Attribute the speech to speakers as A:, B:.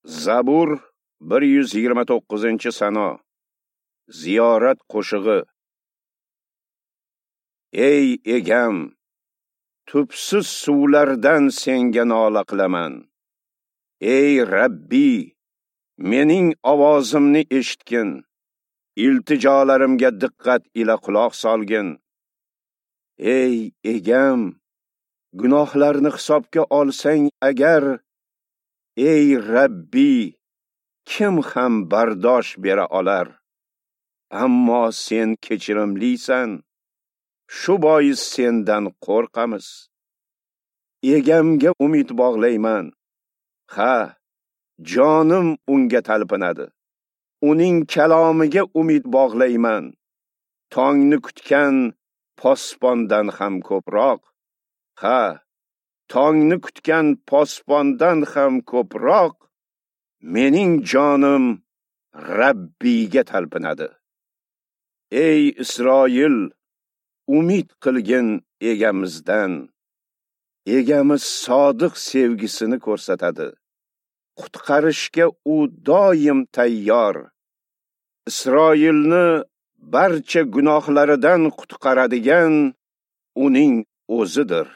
A: Zabur 129-sano. Ziyorat qo'shig'i. Ey egam, tubsiz suvlardan senga nola qilaman. Ey Rabbi, mening ovozimni eshitgin. Iltijolarimga diqqat ila quloq solgin. Ey egam, gunohlarni hisobga olsang agar, ey Rabbi, kim ham bardosh bera olar? Ammo sen kechirimlisan, shu bois sendan qo'rqamiz. Egamga umid bog'layman. Ha, jonim unga talpinadi. Uning kalomiga umid bog'layman. Tongni kutgan posbondan ham ko'proq. Ha, tongni kutgan posbondan ham ko'proq mening jonim Rabbiyga talpinadi. Ey Isroil, umid qilgin egamizdan. Egamiz sodiq sevgisini ko'rsatadi. Qutqarishga u doim tayyor. Isroilni barcha gunohlaridan qutqaradigan uning o'zidir.